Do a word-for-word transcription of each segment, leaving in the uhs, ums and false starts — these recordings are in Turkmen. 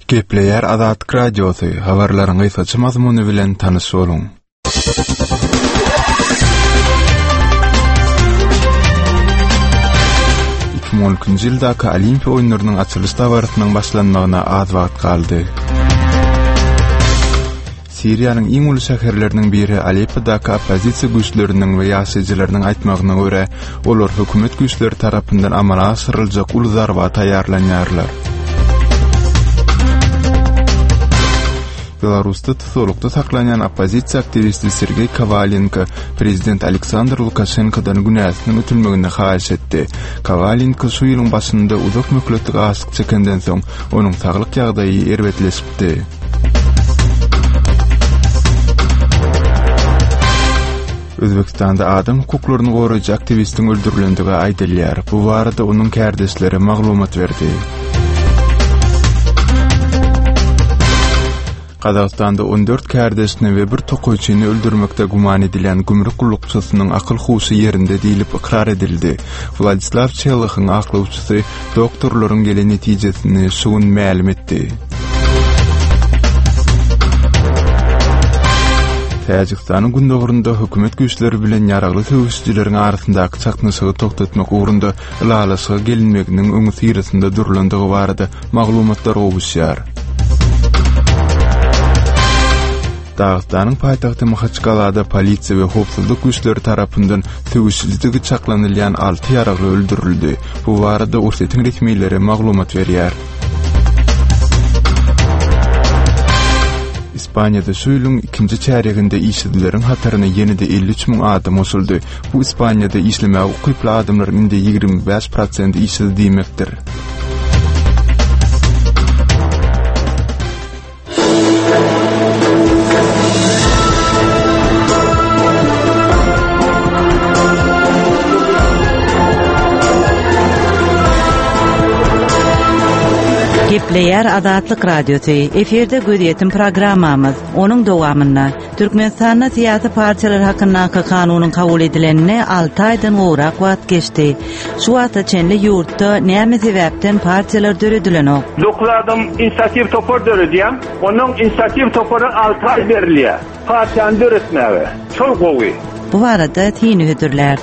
Gepleýär Azatlyk Radiosy, habarlaryň gysgaça mazmuny bilen tanyş boluň. Iki müň on ikinji ýyldaky Olimpiýa oýunlarynyň açylyş dabarasynyň başlanmagyna az wagt galdy. Siriýanyň iň uly şäherleriniň biri Aleppodaky oppozisiýa güýçleriniň we ýaşaýjylarynyň aýtmagyna görä, olar hökümet güýçleri tarapyndan amala aşyryljak uly zarba taýýarlanýarlar. Belarusda tutuklukda saklanýan oppozisiýa aktiwisti Sergeý Kowalenko prezident Aleksandr Lukaşenkodan günäsiniň ötülmegini haýyş etdi. Kowalenko şu ýylyň başynda uzak möhletli açlyk çekenden soň onuň saglyk ýagdaýy erbetleşipdi. Özbekistanda adam hukuklaryny goraýjy aktiwistiň öldürilendigi aýdylýar. Bu barada onuň kärdeşleri maglumat berdi. Gazagystanda on dört kärdeşini we bir tokaýçyny öldürmekde güman edilýän gümrük gullukçysynyň akyl-huşy ýerinde diýlip ykrar edildi. Wladislaw Çelohyň aklawçysy doktorlaryň gelen netijesini şu gün mälim etdi. Täjikistanyň gündogarynda hökümet güýçleri bilen ýaragly söweşijileriň arasyndaky çaknyşygy togtatmak ugrunda ylalaşyga gelinmeginiň öňüsyrasynda durulandygy barada maglumatlar gowuşýar. Dagystanyň paýtagty Mahaçkalada polisiýa we howpsuzlyk güýçleri tarapyndan söweşijiligi çaklanylýan alty ýaragly öldürildi. Bu barada Orsýetiň resmileri maglumat berýär. Ispaniýada şu ýylyň ikinji çärýeginde işsizleriň hataryna ýene-de elli üç müň adam goşuldy. Bu Ispaniýada işlemäge ukyply adamlaryň indi ýigrimi bäş prosent işsiz diýmekdir. Gepleýär Azatlyk Radiosy. Efirde gözýetim programmamyz. Onuň dowamynda Türkmenistanda syýasy partiýalar hakyndaky kanunyň kabul edilenine alty aýdan gowrak wagt geçdi. Şu wagta çenli ýurtda näme sebäpden partiýalar döredilenok? Dokuz adam inisiatiw topar döredýär. Onuň inisiatiw topary alty aý berilýär. Partiýany döretmäge. Şol gowy. Bu barada syny hödürlär.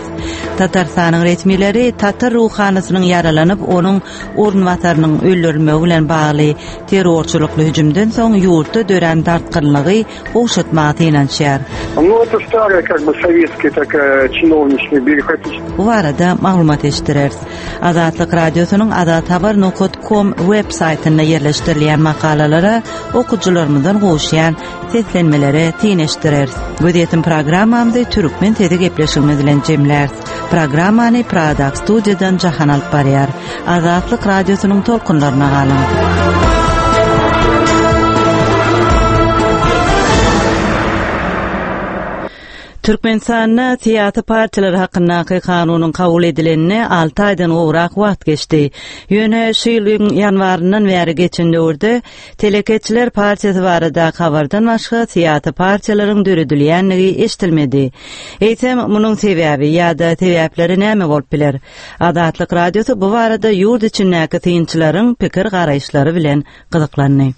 Tatarstanyň resmileri Tatar ruhanysynyň ýaralanyp, onuň orunbasarynyň öldürilmegi bilen bagly terrorçylykly hüjümden soň ýurtda dörän dartgynlygy gowşatmaga synanyşýar. Ну, это старая, как бы, советская такая чиновничная бюрократическая. Bu barada maglumat eşitdireris. Azatlyk Radiosynyň azathabar nokta com web saýtynda ýerleşdirilýän makalalara okyjylarymyzdan gowuşýan seslenmelere syn eşitdireris. Gözýetim programmamyzy Türkmen sesi gepleşigimiz bilen jemläris. Programmany Prada studiýadan Jahan alyp barýar. Azatlyk Radiosynyň tolkunlaryna galyň. Türkmenistanda syýasy partiýalar hakyndaky kanunyň kabul edilenine alty aýdan gowrak wagt geçdi. Ýöne şu ýylyň ýanwaryndan bäri geçen döwürde Telekeçiler partiýasy barada habardan başga syýasy partiýalaryň döredilýändigi eşitilmedi. Eýsem, munuň sebäbi ýa-da sebäpleri näme bolup biler? Azatlyk Radiosy bu barada ýurt içindäki synçylaryň pikir garaýyşlary bilen gyzyklandy.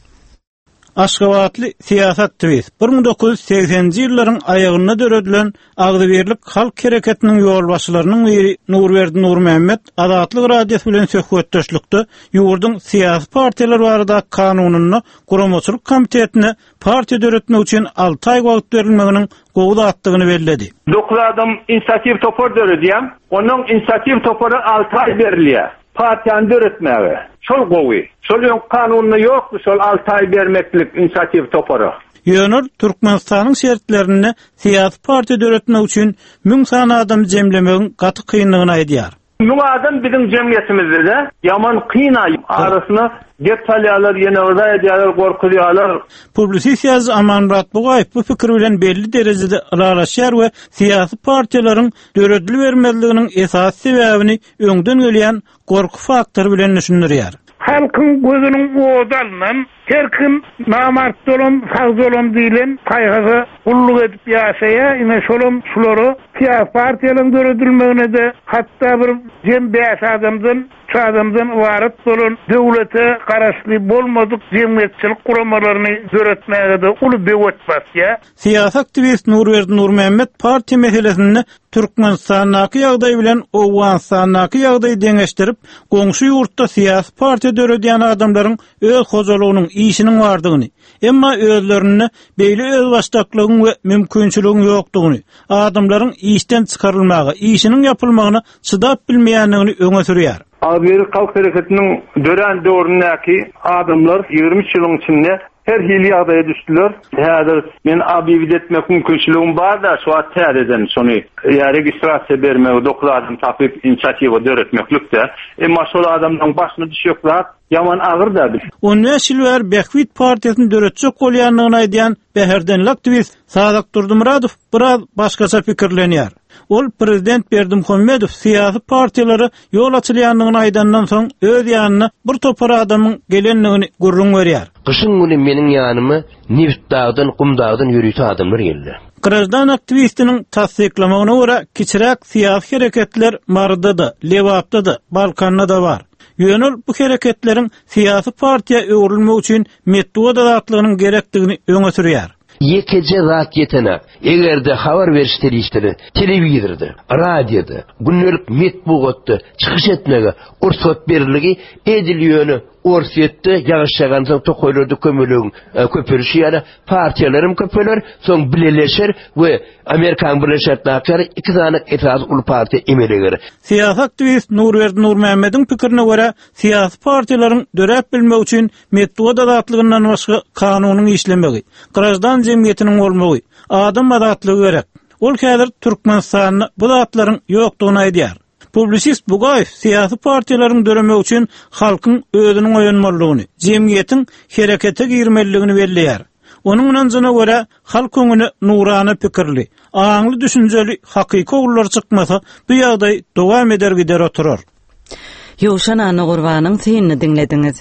Aşgabatly syýasy aktiwist bir müň dokuz ýüz segseninji ýyllaryň aýagynda döredilen Agzybirlik Halk Hereketiniň ýolbaşçylarynyň biri Nurberdi Nurmämmet Azatlyk Radiosy bilen söhbetdeşlikde ýurduň syýasy partiýalar barada kanunynda guramaçylyk komitetine partiýa döretmek üçin alty aý wagt berilmeginiň gowy zatdygyny belledi. Dokuz adam inisiatiw topar döredýär. Onuň inisiatiw topary alty aý berilýär. Partiýany döretmäge. Şol gowy. Şol öň kanunda ýokdy, şol alty aý bermeklik inisiatiw topara. Ýöne Türkmenistanyň şertlerinde syýasy partiýa döretmek üçin müň sany adam jemlemegiň gaty kynlygyny aýdýar. Müň adam biziň jemgyýetimizde ýaman kyn aý arasyna gep salýarlar, ýene yrza edýärler, gorkuzýarlar. Publisist ýazyjy Amanmyrat Bugaýew bu pikir bilen belli derejede ylalaşýar we syýasy partiýalaryň döredilibermezliginiň esasy sebäbini öňden gelýän gorky faktory bilen düşündirýär. Halkyň gözüniň ody alynan, her kim namart dolam, sag dolam diýlen paýhasa gulluk edip ýaşaýar, ine şolam şulara syýasy partiýalaryň döredilmegine de hatda bir jem bäş adamdan üç adamdan ybarat bolan döwlete garaşly bolmadyk jemgyýetçilik guramalaryny döretmäge-de uly bewet basýar. Syýasy aktiwist Nurberdi Nurmämmet partiýa meselesinde Türkmenistandaky ýagdaý bilen Owganystandaky ýagdaýy deňeşdirip, goňşy ýurtda syýasy partiýa döredýän adamlaryň öz hojalygynyň işiniň bardygyny, emma özlerinde beýle özbaşdaklygyň we mümkinçiligiň ýokdugyny, adamlaryň işden çykarylmagy, işiniň ýapylmagyna çydap bilmeýändigini öňe sürýär. Agzybirlik halk hereketiniň dörän döwründäki adamlar ýigrimi üç ýylyň içinde her hili ýagdaýa düşdüler. Häzir men obýewit etmek mümkinçiligim bar-da, şu wagt täzeden şony ýa registrasiýa bermegi dokuz adam tapyp inisiatiwa döretmeklik-de. Emma şol adamlaryň başyna düşjek zat ýaman agyr-da. On bäş ýyl bäri Bähbit partiýasyny döretjek bolýandygyny aýdýan Bäherdenli aktiwist Sadyk Durdumyradow biraz başgaça pikirlenýär. Ol prezident Berdimuhamedow syýasy partiýalara ýol açylýandygyny aýdandan soň öz ýanyna bir topar adamyň gelendigini gürrüň berýär. Gyşyň güni meniň ýanyma Nebitdagdan, Gumdagdan ýörite adamlar geldi. Graždan aktiwistiniň tassyklamagyna görä kiçiräk syýasy hereketler Maryda-da, Lebapda-da, Balkanda-da bar. Ýöne ol bu hereketleriň syýasy partiýa öwrülmek üçin metbugat azatlygynyň gerekdigini öňe sürýär. Ýekeje zat ýetene, eger-de habar beriş serişdeleri telewizorda, radioda, gündelik metbugatda çykyş etmege rugsat beriligi edil ýöne Orsýetde ýagyş ýagansoň tokaýlarda kömelegiň, e, köpelişi ýaly partiýalaryň köpeler, soň bileleşer we Amerikan Birleşen Ştatlary iki sany esasy uly partiýa emele geler. Syýasy aktiwist Nurberdi Nurmämmediň pikirine görä, syýasy partiýalaryň döräp bilmek üçin metbugat azatlygyndan başga kanunyň işlemegi, graždan jemgyýetiniň bolmagy, adam azatlygy gerek. Ol häzir Türkmenistanda bu zatlaryň ýokdugyny aýdýar. Publisist Bugaýew syýasy partiýalaryň döremegi üçin halkyň özüniň oýanmalydygyny, jemgyýetiň herekete girmelidigini belleýär. Onuň ynanjyna görä, halk öňüne nurana pikirli, aňly düşünjeli hakyky ogullar çykmasa, bu ýagdaý dowam eder gider oturar. Ýowşan Annagurbanyň synyny diňlediňiz.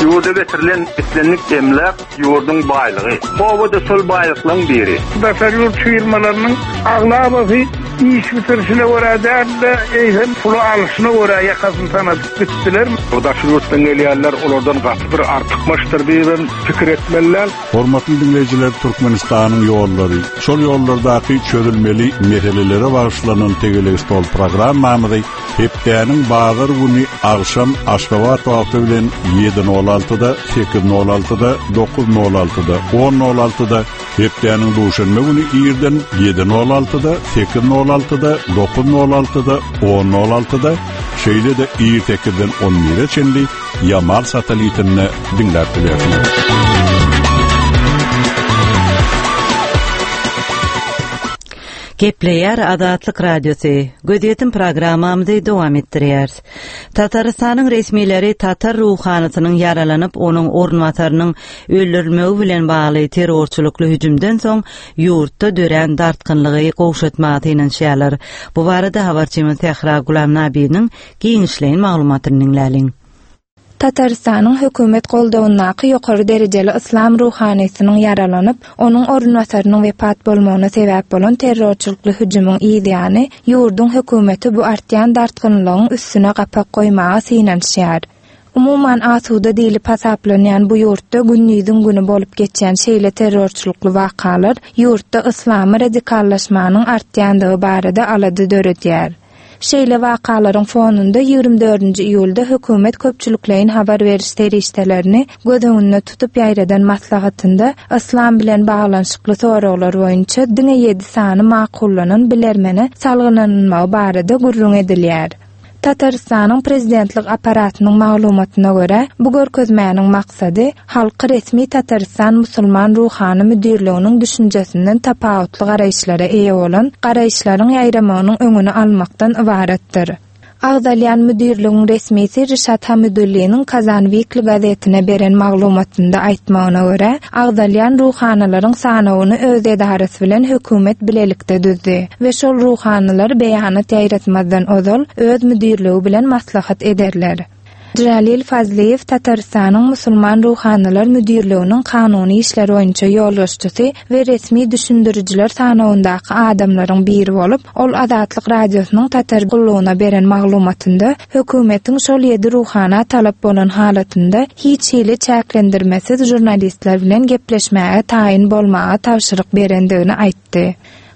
Ýurda getirilen islendik emläk ýurduň baýlygy. Obada şol baýlyklaryň biri. Daşary ýurt firmalarynyň aglabasy iş bitirişine görä däl-de, eýsem puly alşyna görä ýakasyny sanadyp gitdiler. Bu daşary ýurtdan gelýänler olardan gaty bir artykmaçdyr diýip pikir etmeliler. Hormatly dinleýjiler, Türkmenistanyň ýollary, şol ýollardaky çözülmeli meselelere bagyşlanan tegelek stol programmamyzy hepdäniň bazar güni agşam Aşgabat wagty bilen ýedi nol altyda, sekiz nol altyda, dokuz nol altyda, on nol altyda, hepdäniň duşenbe güni irden ýedi nol altyda, sekiz nol altyda, dokuz nol altyda, on nol altyda, şeýle-de ir sekizden on bire çenli Yamal satelitinde diňläp bilersiniz. Gepleýär Azatlyk Radiosy. Gözýetim programmamyzy dowam etdirýär. Tatarystanyň resmileri Tatar ruhanysynyň ýaralanyp, onuň orunbasarynyň öldürilmegi bilen bagly terrorçylykly hüjümden soň ýurtda dörän dartgynlygy gowşatmaga synanyşýarlar. Bu barada habarçymyz Sähra Gulamnabiniň giňişleýin maglumatyny diňläliň. Tatarystanyň hökümet goldawyndaky ýokary derejeli yslam ruhanysynyň ýaralanyp, onuň orunbasarynyň wepat bolmagyna sebäp bolan terrorçylykly hüjümiň ýany ýurduň hökümeti bu artýan dartgynlygyň üstüne gapak goýmaga synanyşýar. Umuman asuda diýlip hasaplanýan bu ýurtda gündiziň güni bolup geçýän şeýle terrorçylykly wakalar ýurtda yslamy radikallaşmanyň artýandygy barada alada döredýär. Şeýle wakalaryň fonunda ýigrimi dördünji iýulda hökümet köpçülikleýin habar beriş serişdelerini göz öňünde tutup ýaýradan maslahatynda yslam bilen baglanyşykly soraglar boýunça diňe ýedi sany makullanan bilermene salgylanylmagy barada gürrüň edilýär. Tatarystanyň prezidentlik apparatynyň maglumatyna görä, bu görkezmäniň maksady halky resmi Tatarystan musulman ruhany müdirliginiň düşünjesinden tapawutly garaýyşlara eýe bolan garaýyşlaryň ýaýramagynyň öňüni almakdan ybaratdyr. Agzalýan müdirligiň resmisi Rişat Hamidulliniň Kazan Weekly gazetine beren maglumatynda aýtmagyna görä, agzalýan ruhanylaryň sanawyny öz edarasy bilen hökümet bilelikde düzdi we şol ruhanylar beýanat ýaýratmazdan ozal öz müdirligi bilen maslahat ederler. Jalil Fazlyýew Tatarystanyň Musulman ruhanylar müdirliginiň kanuny işler boýunça ýolbaşçysy we resmi düşündirijiler sanawyndaky adamlaryň biri bolup, ol Azatlyk Radiosynyň Tatar gullugyna beren maglumatynda hökümetiň şol ýedi ruhana talap bolan halatynda hiç hili çäklendirmesiz žurnalistler bilen gepleşmäge taýyn bolmaga tabşyryk berendigini aýtdy.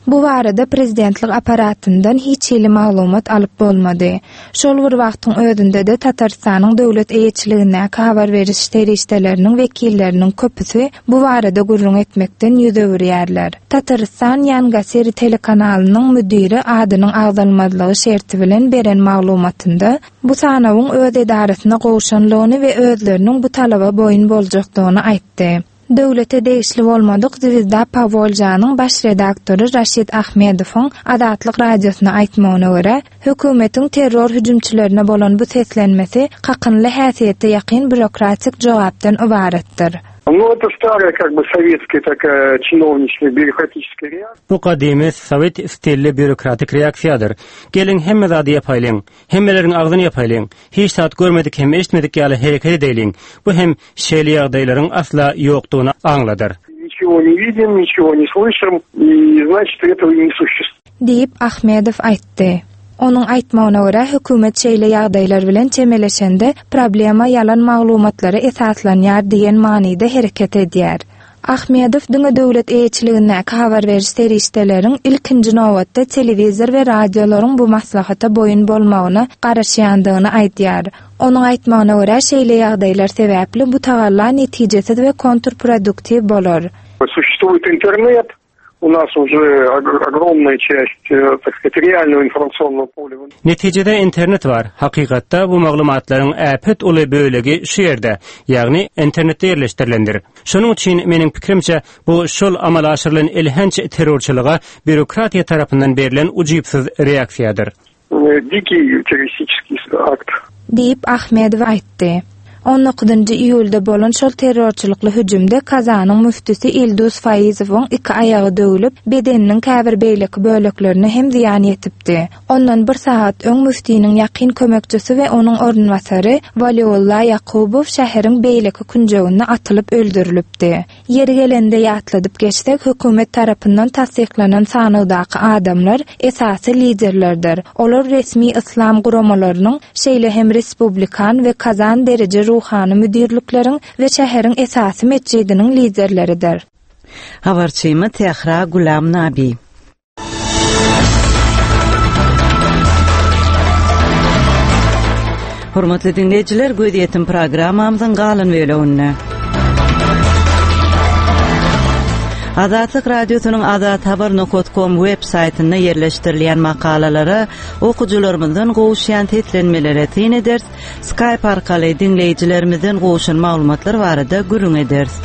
Bu barada prezidentlik apparatyndan hiç hili maglumat alyp bolmady. Şol bir wagtyň özünde-de Tatarystanyň döwlet eýeçiligindäki habar beriş serişdeleriniň wekilleriniň köpüsi bu barada gürrüň etmekden ýüz öwürýärler. Tatarystan Ýangasiri telekanalynyň müdiri adynyň agzalmazlygy şerti bilen beren maglumatynda bu sanawyň öz edarasyna gowşanlygyny we özleriniň bu talaba boýun boljakdygyny aýtdy. Döwlete degişli bolmadyk Zwezda Powolžanyň baş redaktory Raşid Ahmedowyň Azatlyk Radiosyna aýtmagyna görä, hökümetiň terror hüjümçilerine bolan bu seslenmesi kakynly häsiýete ýakyn býurokratik jogapdan ybaratdyr. Ну, это старая, как бы, советская такая чиновничная бюрократическая реакция. Bu gadymy sowet stilli býurokratik reaksiýadyr. Geliň hemme zady ýapaýlyň, hemmeleriň agzyny ýapaýlyň, hiç zat görmedik hem eşitmedik ýaly hereket edeýliň. Bu hem şeýle ýagdaýlaryň asla ýokdugyny aňladar. Ничего не видим, ничего не слышим, и значит, этого и не существует. Diýip, Ahmedow aýtdy. Onuň aýtmagyna görä, hökümet şeýle ýagdaýlar bilen çemeleşende problema ýalan maglumatlara esaslanýar diýen manyda hereket edýär. Ahmedow diňe döwlet eýeçiligindäki habar beriş serişdeleriň ilkinji nobatda telewizor we radiolaryň bu maslahata boýun bolmagyna garaşýandygyny aýdýar. Onuň aýtmagyna görä, şeýle ýagdaýlar sebäpli bu tagalla netijesiz we kontrproduktiw bolar. Существует интернет, у нас уже огромная часть, э, так сказать, реального информационного поля. Netijede internet bar. Hakykatda bu maglumatlaryň äpet uly bölegi şu ýerde, ýagny internetde ýerleşdirilendir. Şonuň üçin meniň pikirimçe bu şol amala aşyrylan elhenç terrorçylyga býurokratiýa tarapyndan berlen ujypsyz reaksiýadyr. Дикий террористический акт. Diýip Ahmedow aýtdy. On dokuzynjy iýulda bolan şol terrorçylykly hüjümde Kazanyň müftüsi Ildus Faizowyň iki aýagy döwülip, bedeniniň käbir beýleki böleklerine hem zyýan ýetipdi. Ondan bir sagat öň müftiniň ýakyn kömekçisi we onuň orunbasary Waliullah Ýakubow şäheriň beýleki künjeginde atylyp öldürilipdi. Ýeri gelende ýatladyp geçsek, hökümet tarapyndan tassyklanan sanawdaky adamlar esasy liderlerdir. Olar resmi yslam guramalarynyň, şeýle hem respublikan we Kazan dereje ruhany müdirlikleriň we şäheriň esasy metjidiniň liderleridir. Habarçymy Tehra Gulam Nabi. Hormatly dinleýjiler, gözýetim programmamyzyň galan bölüminde. Azatlyk Radiosynyň azathabar nokta com web saýtynda ýerleşdirilýän makalalara okyjylarymyzdan gowuşýan seslenmelere syn ederis, Skype arkaly dinleýjilerimizden gowuşan maglumatlar barada gürrüň ederis.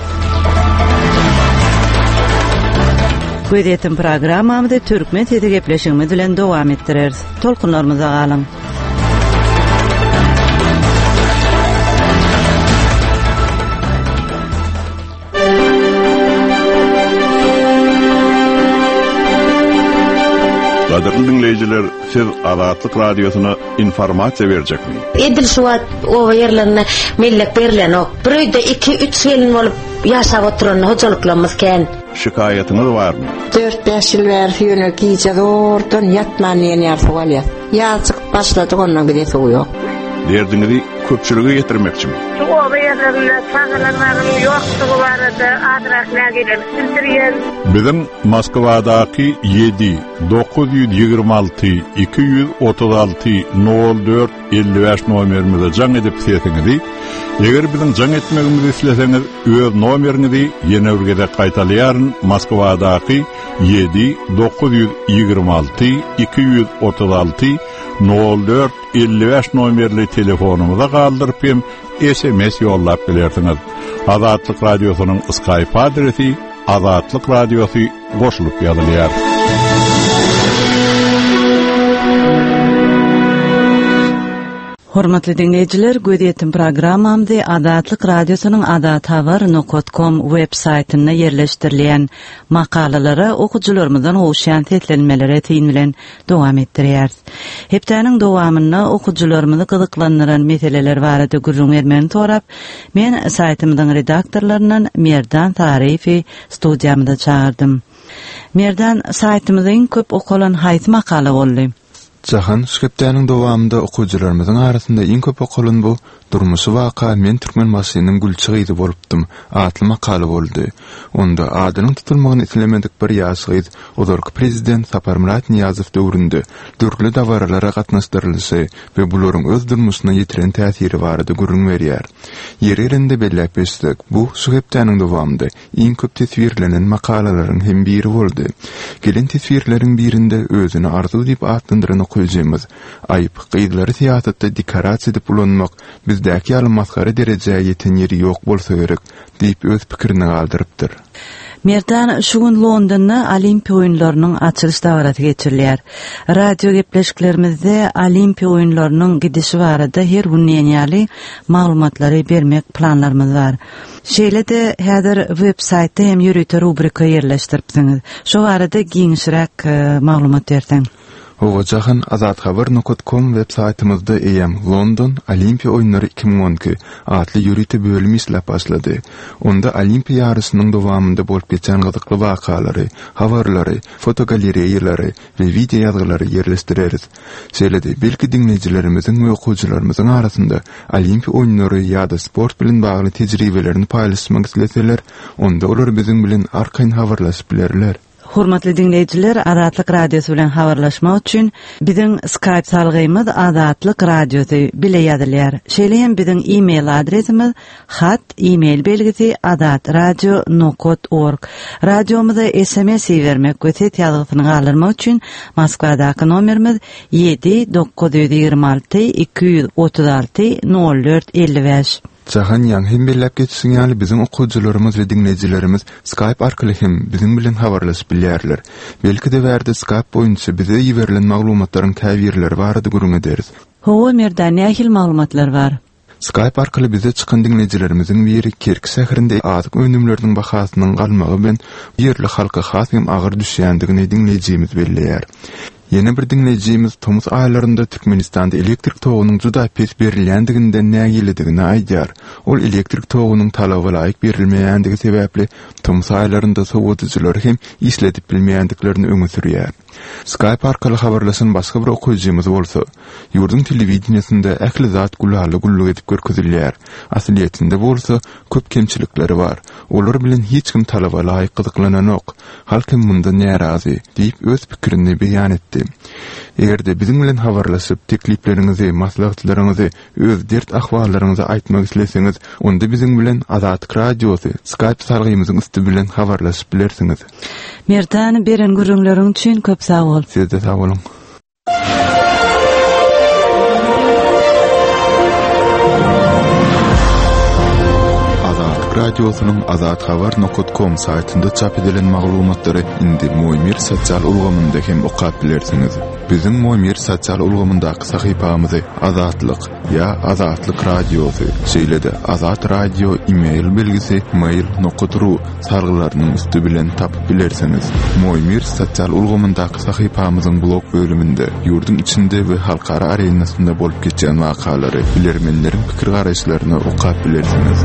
Gözýetim programmamyzy Türkmen sesi gepleşigimiz bilen dowam etdireris. Tolkunlarymyza galyň. Gadyrly dinleýjiler, siz Azatlyk Radiosyna informasiýa berjekmi? Edil şu wagt oba ýerlerine mellek berilenok. Bir öýde iki, üç gelin bolup ýaşap oturan hojalyklarymyz kän. Şikaýatyňyz barmy? Dört bäş ýyl bäri ýöne gije zordan ýatman diýen ýer suw alýar. Ýaz çykyp başladyk, ondan bize suw ýok. Derdiňizi köpçülige ýetirmekçimi? Şu oba ýerlerinde çagalar bagynyň ýokdugy barada azrak nägilelik bildirýän. Biziň Moskwadaky ýedi, dokuz ýüz ýigrimi alty, iki ýüz otuz alty, nol dört, elli bäş nomerimize jaň edip sesiňizi, eger biziň jaň etmegimizi isleseňiz, öz nomeriňizi ýene bir gezek gaýtalaýaryn. Moskwadaky ýedi, dokuz ýüz ýigrimi alty, iki ýüz otuz alty, nol dört, elli bäş nomerli telefonumyza galdyryp hem S M S ýollap bilersiňiz. Azatlyk Radiosynyň Skype adresi Azatlyk Radiosy goşulyp ýazylýar. Hormatly diňleýjiler, gözýetim programmamyzy Azatlyk Radiosynyň azathabar nokat kom web saýtynda ýerleşdirilýän makalalara okyjylarymyzdan gowuşýan seslenmelere syn bilen dowam etdirýäris. Hepdäniň dowamynda okyjylarymyzy gyzyklandyran meseleler barada gürrüň bermegini sorap, men saýtymyzyň redaktorlaryndan Merdan Saryýewi studiýamyza çagyrdym. Merdan, saýtymyzda iň köp okalan haýsy makala boldy? Jahan, şu hepdäniň dowamynda okyjylarymyzyň arasynda iň köp okalan bu Durmuşy waka men Türkmenbaşynyň gülçi gyzy bolupdym atly makala boldy. Onda adynyň tutulmagyny islemedik bir ýaş gyz ozalky prezident Saparmyrat Nyýazow döwründe dürli dabaralara gatnaşdyrylyşy we bularyň öz durmuşyna ýetiren täsiri barada gürrüň berýär. Ýeri gelende belläp geçsek, bu şu hepdäniň dowamynda iň köp teswirlenen makalalaryň hem biri boldy. Gelen teswirleriň birinde özüni Arzuw diýip atlandyran okyjymyz, Aýyp, gyzlary syýasatda dekorasiýa edip ulanmak bizdäki ýaly masgara derejä ýeten ýeri ýok bolsa gerek diýip öz pikirini galdyrypdyr. Merdan, şu gün Londonda Olimpiýa oýunlarynyň açylyş dabarasy geçirilýär. Radio gepleşiklerimizde Olimpiýa oýunlarynyň gidişi barada her gün diýen ýaly maglumatlary bermek planlarymyz bar. Şeýle-de häzir web saýtda hem ýörite rubrika ýerleşdiripsiňiz. Şu barada giňişräk e, maglumat berseň. Hawa Jahan, azathabar nokat kom web saýtymyzda eýýäm London Olimpiýa oýunlary iki müň on iki atly ýörite bölüm işläp başlady. Onda Olimpiýa ýaryşynyň dowamynda bolup geçen gyzykly wakalary, habarlary, fotogalereýalary we wideo ýazgylary ýerleşdireris. Şeýle-de, belki diňleýjilerimiziň we okyjylarymyzyň arasynda Olimpiýa oýunlary ýa-da sport bilen bagly tejribelerini paýlaşmak isleseler, onda olar biziň bilen arkaýyn habarlaşyp bilerler. Hormatly diňleýjiler, Azatlyk Radiosy bilen habarlaşmak üçin biziň Skype salgymyz Azatlyk Radiosy bile ýazylýar. Şeýle hem biziň e-mail adresimiz hat e-mail belgisi azatradio nokat org. Radiomyza S M S ibermek we ses ýazgysyny galdyrmak üçin Moskwadaky nomerimiz ýedi dokuz ýüz ýigrimi alty iki ýüz otuz alty nol dört elli bäş. Jahan, ýaňy hem belläp geçişiň ýaly biziň okyjylarymyz we diňleýjilerimiz Skype arkaly hem biziň bilen habarlaşyp bilýärler. Belki-de bärde Skype boýunça bize iberilen maglumatlaryň käbirleri barada gürrüň ederis. Hawa, Merdan, nähili maglumatlar bar? Skype arkaly bize çykan diňleýjilerimiziň biri Kerki şäherinde azyk önümleriniň bahasynyň galmagy bilen ýerli halka has hem agyr düşýändigini diňleýjimiz belleýär. Ýene bir diňleýjimiz tomus aýlarynda Türkmenistanda elektrik togunyň juda pes berilýändiginden nägiledigini aýdýar. Ol elektrik togunyň talaba laýyk berilmeýändigi sebäpli tomus aýlarynda sowadyjylary hem işledip bilmeýändiklerini öňe sürýär. Skype arkaly habarlaşan başga bir okyjymyz bolsa, ýurduň telewideniýesinde ähli zat gülala güllük edip görkezilýär. Aslyýetinde bolsa köp kemçilikleri bar. Olar bilen hiç kim talaba laýyk gyzyklananok. Halk hem mundan närazy diýip öz pikirini beýan etdi. Eger-de biziň bilen habarlaşyp, teklipleriňizi, maslahatlaryňyzy, öz dert ahwallaryňyzy aýtmak isleseňiz, onda biziň bilen Azatlyk Radiosy Skype salgymyzyň üsti bilen habarlaşyp bilersiňiz. Merdan, beren gürrüňleriň üçin köp sag bol. Siz-de sag boluň. Azatlyk Radiosynyň azathabar nokat kom saýtynda çap edilen maglumatlary indi Moýmir sosial ulgamynda hem okap bilersiňiz. Biziň Moýmir sosial ulgamyndaky sahypamyzy Azatlyk ýa Azatlyk Radiosy, şeýle-de Azat Radio e-mail belgisi mail nokat ru salgylarynyň üsti bilen tapyp bilersiňiz. Moýmir sosial ulgamyndaky sahypamyzyň blog bölüminde ýurduň içinde we halkara arenasynda bolup geçýän wakalary, bilermenleriň pikir garaýyşlaryny okap bilersiňiz.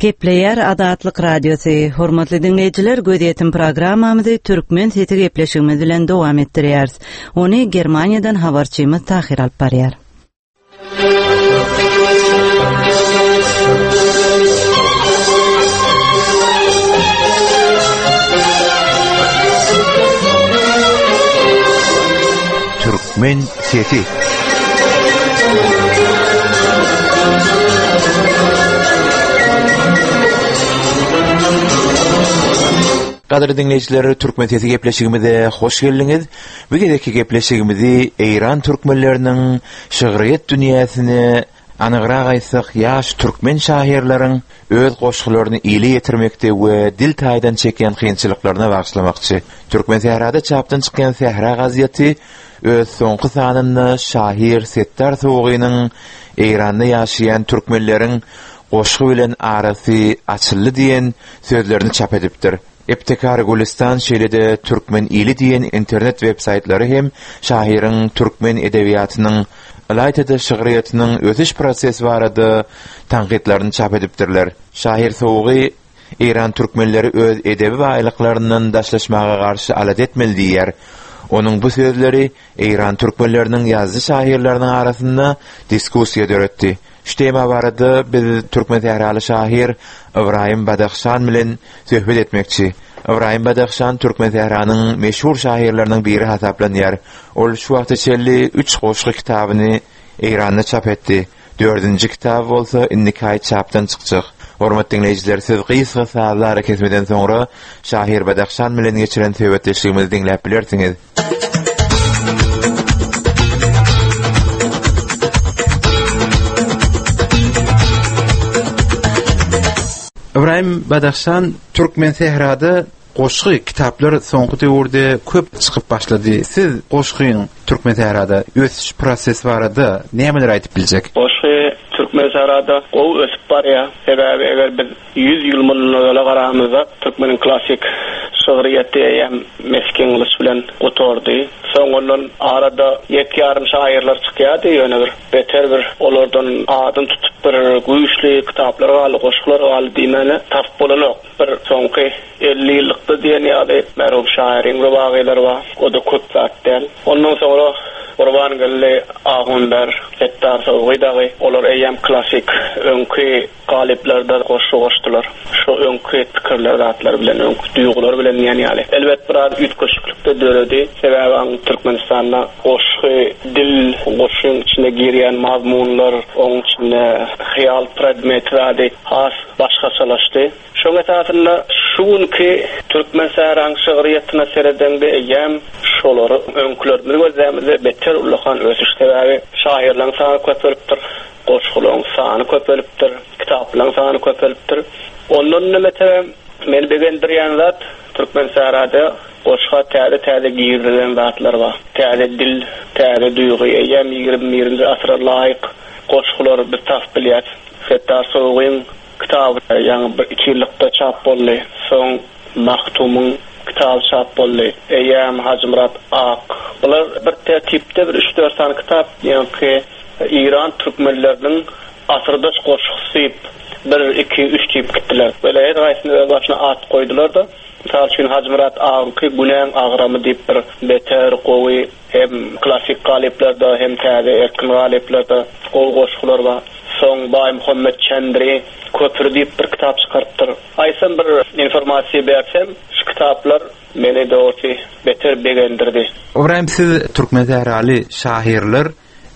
Gepleýär Azatlyk Radiosy. Hormatly diňleýjiler, gözýetim programmamyzy Türkmen sesi gepleşigimiz bilen dowam etdirýäris. Ony Germaniýadan habarçymyz Tahir alyp barýar. Türkmen sesi. Gadyrly dinleýjiler, Türkmen sesi gepleşigimize hoş geldiňiz. Bu gezekki gepleşigimizi Eýran türkmenleriniň şygryýet dünýäsine Anygrak aýtsak, ýaş türkmen şahyrlaryň öz goşgularyny ile ýetirmekde we dil taýdan çekýän kynçylyklaryna bagyşlamakçy. Türkmen sährada çapdan çykýan Sähra gazeti öz soňky sanynda şahyr Setdar Sowgynyň Eýranda ýaşaýan türkmenleriň goşgy bilen arasy açyldy diýen sözlerini çap edipdir. Ebtekar Gülistan şeýle-de Türkmen ili diýen internet web-saýtlary hem şahyryň türkmen edebiýatynyň, ylaýta-da şygryýetiniň ösüş prosesi barada tankytlaryny çap edipdirler. Şahyr Sowgy Eýran türkmenleri öz edebi baýlyklaryndan daşlaşmaga garşy alada etmeli diýýär. Onuň bu sözleri Eýran türkmenleriniň ýazyjy-şahyrlarynyň arasynda diskussiýa döretdi. Şu tema barada biz türkmen sähraly şahyr Ybraýym Badahşan bilen söhbet etmekçi. Ybraýym Badahşan türkmen sähranyň meşhur şahyrlarynyň biri hasaplanýar. Ol şu wagta çenli üç goşgy kitabyny Eýranda çap etdi. Dördünji kitaby bolsa indiki aý çapdan çykjak. Hormatly diňleýjiler, siz gysga sazly arakesmeden soňra şahyr Badahşan bilen geçiren söhbetdeşligimizi diňläp bilersiňiz. Ybraýym Badahşan, türkmen sährada goşgy kitaplar soňky döwürde köp çykyp başlady. Siz goşgyň türkmen sährada ösüş prosesi barada nämeler aýdyp biljek? Goşgy türkmen sährada gowy ösüp barýar. Sebäbi eger biz ýüz ýyl mundan ozala garamyzda türkmeniň klassyk şygryýeti eýýäm meskin gylyç bilen gutardy. Soň ondan arada ýek ýarym şairler çykýardy, ýöne bir beter bir olardan adyny tutup bir güýçli kitaplar galdy, goşgular galdy diýmäne tapyp bolanok. Bir soňky elli ýyllykda diýen ýaly merhum şairiň rubagylar bar, o da köp zat däl. Ondan soňra Gurbangeldi Ahunber, Setdar Sowgy dagy, olar eýýäm klassyk öňki galyplarda goşgy goşdular. Şu öňki pikirler zatlar bilen, öňki duýgular bilen diýen ýaly. Elbet biraz üýtgeşiklik-de döredi. Sebäbi aň Türkmenistanda goşgy, dil, goşgyň içine girýän mazmunlar, oň içinde hyýal predmeti zady has başgaçalaşdy. Şoň esasynda şu günki türkmen sähraň şygryýetine seredeňde eýýäm şolary öňkülerimizi gözlämizde beter ullakan ösüş, sebäbi şahyrlaryň sany köpelipdir, goşgularyň sany köpelipdir, kitaplaryň sany köpelipdir. Ondan da meselem meni begendirýän zat türkmen sährada goşga täze-täze girizilen zatlar bar. Täze dil, täze duýgy, eýýäm ýigrimi birinji asyra laýyk goşgular biz tapyp bilýäris. Setdar Sowgyň kitaby ýaňy bir iki ýyllykda çap boldy. Soň Mahtumyň kitaby çap boldy. Eýýäm Hajymyrat Ak. Bular bir tertipde bir üç-dört sany kitap, ýaňky Eýran türkmenleriniň asyrdaş goşgusy diýip bir, iki, üç diýip gitdiler. Böyle her haýsyny öz başyna at goýdular da. Mysal üçin Hajymyrat Agyňky Günäň agramy diýip bir beter gowy hem klassyk galyplarda hem täze erkin galyplarda gowy goşgular bar. Soň Baý Muhammet Çendri Köpri diýip bir kitap çykarypdyr. Aýtsam bir informasiýa bersem, şu kitaplar meni dogrusu beter begendirdi. Ybraýym, siz türkmen sähraly şahyrlar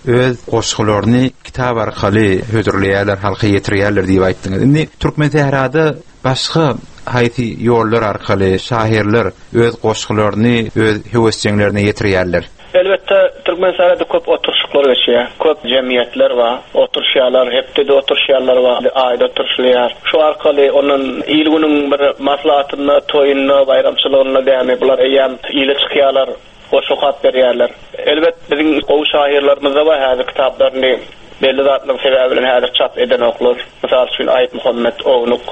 öz goşgularyny kitap arkaly hödürleýärler, halka ýetirýärler diýip aýtdyňyz. Indi türkmen sährada başga haýsy ýollar arkaly şahyrlar öz goşgularyny öz höwesjeňlerine ýetirýärler? Elbetde türkmen sährada köp oturşyklar geçýär. Köp jemgyýetler bar, oturşýarlar, hepdede oturşýarlar bar, aýda oturşylýar. Şu arkaly ondan il günüň bir maslahatynda, toýunda, baýramçylygynda dämi bular eýýäm ile çykýarlar, goşgy okap berýärler. Elbet biziň gowy şahyrlarymyz da bar, häzir kitaplaryny belli zatlaryň sebäbi bilen häzir çap edenoklar. Mysal üçin Aýyp Muhammet Ownuk,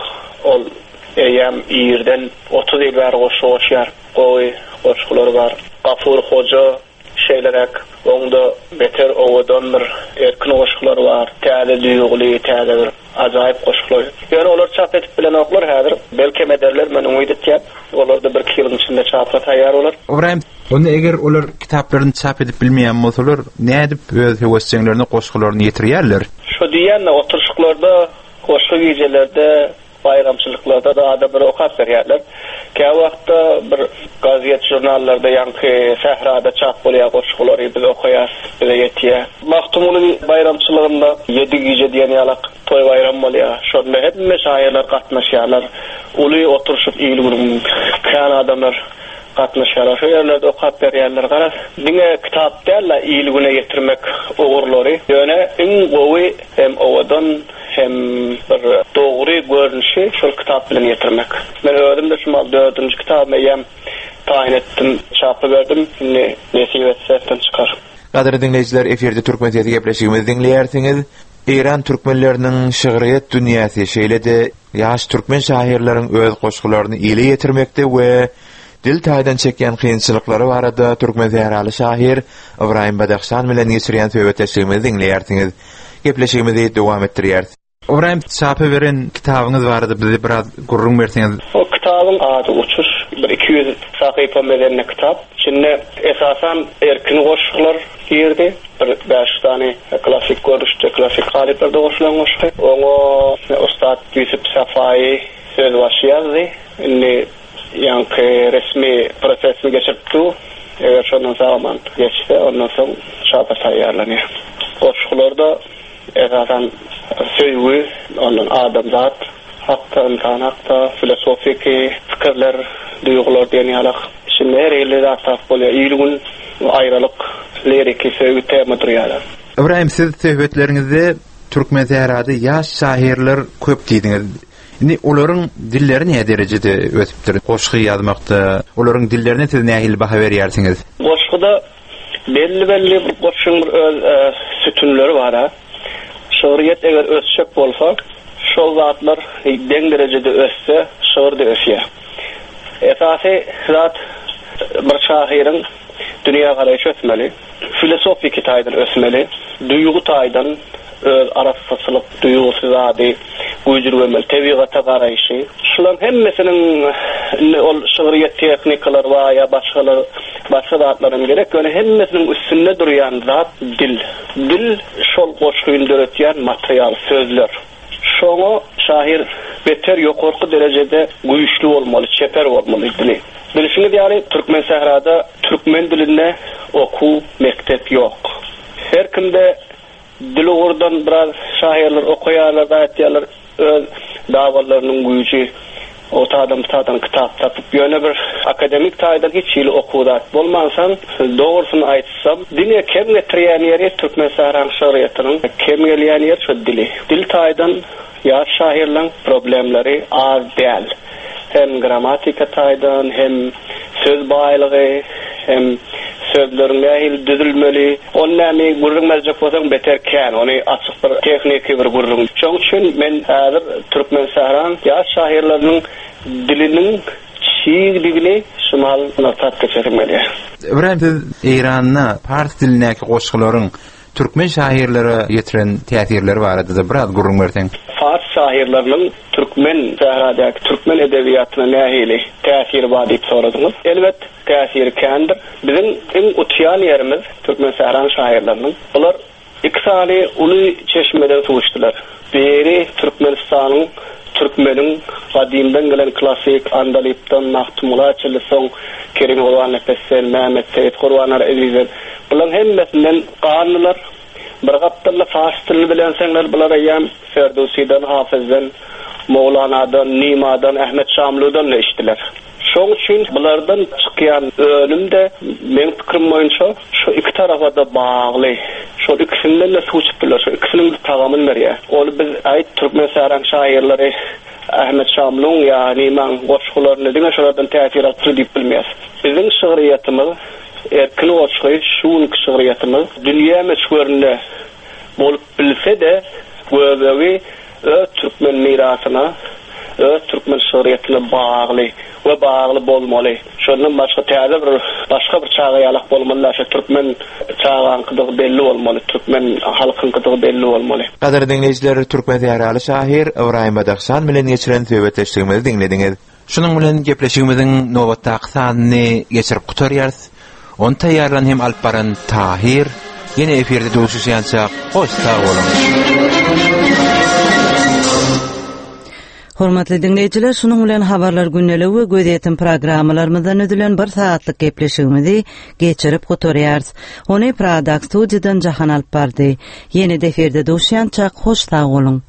ol eýýäm irden otuz ýyl bäri goşgy goşýar. Gowy goşgulary bar. Gafur Hoja şeýleräk, oňda beter owadan bir erkin goşgulary bar. Täze duýguly, täze bir ajaýyp goşgular. Ýöne olar çap edip bilenoklar häzir. Belkem ederler, men umyt etýän. Olar da bir iki ýylyň içinde çapa taýýar bolar. Ybraýym, onda eger olar kitaplaryny çap edip bilmeýän bolsalar, nädip öz höwesjeňlerine goşgularyny ýetirýärler? Şu diýýän oturşyklarda, goşgy gijelerde, baýramçylyklarda da adamlar okap berýärler. Kä wagtda bir gazet jurnallarda ýaňky sährada çap bolýar goşgulary biz okaýas, bize ýetýär. Magtymguly baýramçylygynda ýedi gije diýen ýalak toý baýram bolýar. Şonda hemme şairler gatnaşýarlar. Uly oturşyk il günüň kän adamlar gatnaşýarlar. Şu ýerlerde okap berýärler. Garaz, diňe kitap däl-de il-güne ýetirmek ugurlary. Ýöne iň gowy hem owadan hem bir dogry görnüşi şol kitap bilen ýetirmek. Men özüm-de şu mal dördünji kitabymy eýýäm taýyn etdim, çapa berdim. Indi nesip etse çykar. Gadyrly diňleýjiler, efirde Türkmen sesi gepleşigimizi diňleýärsiňiz. Eýran türkmenleriniň şygryýet dünýäsi, şeýle-de ýaş türkmen şahyrlaryň öz goşgularyny ile ýetirmekde we dil taýdan çekýän kynçylyklary barada türkmen sähraly şahyr Ybraýym Badahşan bilen geçirýän söhbetdeşligimizi diňleýärsiňiz. Gepleşigimizi dowam etdirýäris. Ybraýym, çapa beren kitabyňyz barada bize biraz gürrüň berseňiz. O kitabyň ady Uçuş, bir iki ýüz sahypa mezenli kitap. Içinde esasan erkin goşgular girdi. Bir bäş sany klasik görnüşde, klasik galyplarda goşulan goşgy. Oňa Ussat Ýusup Safaýy sözbaşy ýazdy. Indi ýaňky resmi prosesini geçirip dur. Eger şondan sag-aman geçse, ondan soň çapa taýýarlanýar. Goşgularda esasan söýgi, ondan adamzat hakda, ynsan hakda, filosofiki pikirler, duýgular diýen ýalak. Şimdi her hili zat tapyp bolýar. Il-gün, aýralyk, liriki söýgi tema durýarlar. Ybraýym, siz söhbetleriňizde Türkmen sährada ýaş şahyrlar köp diýdiňiz. Indi olaryň dilleri näme derejede ösüpdir? Goşgy ýazmakda olaryň dillerine siz nähili baha berýärsiňiz? Goşguda belli-belli bir goşgyň bir öz sütünleri bar ha. Şygryýet eger ösjek bolsa, şol zatlar deň derejede össe, şygyr da ösýär. Esasy zat bir şahyryň dünýä garaýşy ösmeli, filosofiki taýdan ösmeli, duýgy taýdan öz arassaçylyk duýgusy zady güýjürgemeli, tebigata garaýşy. Şularyň hemmesiniň indi ol şygryýet tehnikalar bar ýa başgalar, başga zatlaryň gerek, ýöne hemmesiniň üstünde durýan zat dil. Dil şol goşgyny döretýän material, sözler. Şoňa şahyr beter ýokarky derejede güýçli bolmaly, çeper bolmaly dili. Bilşiňiz ýaly, Türkmen sährada türkmen dilinde okuw mekdep ýok. Her kimde dil ugurdan biraz şahyrlar okaýarlar, aýtýarlar, öz dawalarynyň güýji o adam tadan kitap tapyp, ýöne bir akademik taýdan hiç hili okuw zat bolmansoň, dogrusyny aýtsam, diňe kem getirýän ýeri Türkmen sähraň şygryýetiniň kem gelýän ýeri şu dili. Dil taýdan ýaş şahyrlaryň problemleri az däl. Hem grammatika taýdan, hem söz baýlygy, hem sözleriň nähili düzülmeli, ol näme gürrüň berjek bolsaň beter kän, ony açyk bir tehniki bir gürrüň. Şonuň üçin men häzir Türkmen sähraň ýaş şahyrlarynyň diliniň çigdigini şumal nygtap geçesim gelýär. Ybraýym, siz Eýranda pars dilindäki goşgularyň türkmen şahyrlara ýetiren täsirleri barada da biraz gürrüň berseň. Pars şahyrlarynyň türkmen sähradaky türkmen edebiýatyna nähili täsiri bar diýip soradyňyz. Elbet täsiri kändir. Biziň iň utýan ýerimiz Türkmen sähraň şahyrlarynyň. Bular iki sany uly çeşmeden suw içdiler. Biri Türkmenistanyň, türkmeniň gadymdan gelen klasik Andalypdan, Magtymgula çenli soň Kerim Gurbannepesden, Mehmet Seýit Gurbanlar Ezizden. Bularyň hemmesinden ganlylar. Bir gapdalda fars dilini bilenseňler, bular eýýäm Ferdowsidan, Hafizden, Mowlanadan, Nimadan, Ahmet Şamludan da içdiler. Şoň üçin bulardan çykýan önüm de meň pikrim boýunça şu iki tarafa da bagly. Şu ikisinden de suw çypdylar, şu ikisiniň tagamyny berýär. Ol biz aýt Türkmen sähraň şairleri Ahmet Şamluň ýa Nimaň goşgularyny diňe şolardan täsir alyp diýip bilmeýäs. Biziň şygryýetimiz erkin goşgy, şu günki şygryýetimiz dünýä möçberinde bolup bilse de göbegi öz türkmen mirasyna, öz türkmen şygryýetine bagly we bagly bolmaly. Şondan başga täze bir başga bir çaga ýalak bolmaly, şu türkmen çagaňkydygy belli bolmaly, türkmen halkyňkydygy belli bolmaly. Gadyrly diňleýjiler, Türkmen sähraly şahyr Ybraýym Badahşan bilen geçiren söhbetdeşligimizi diňlediňiz. Şunuň bilen gepleşigimiziň nobatdaky sanyny geçirip gutarýarys. Ony taýýarlan hem alyp baran Tahir. Ýene efirde duşuşýança hoş sag boluň. Hormatly diňleýjiler, şunuň bilen habarlar gündeligi we gözýetim programmalarymyzdan üzülen bir saatlyk gepleşigimizi geçirip gutarýarys. Ony Pradak studiýadan Jahan alyp bardy. Ýene de efirde duşuşýança hoş sag boluň.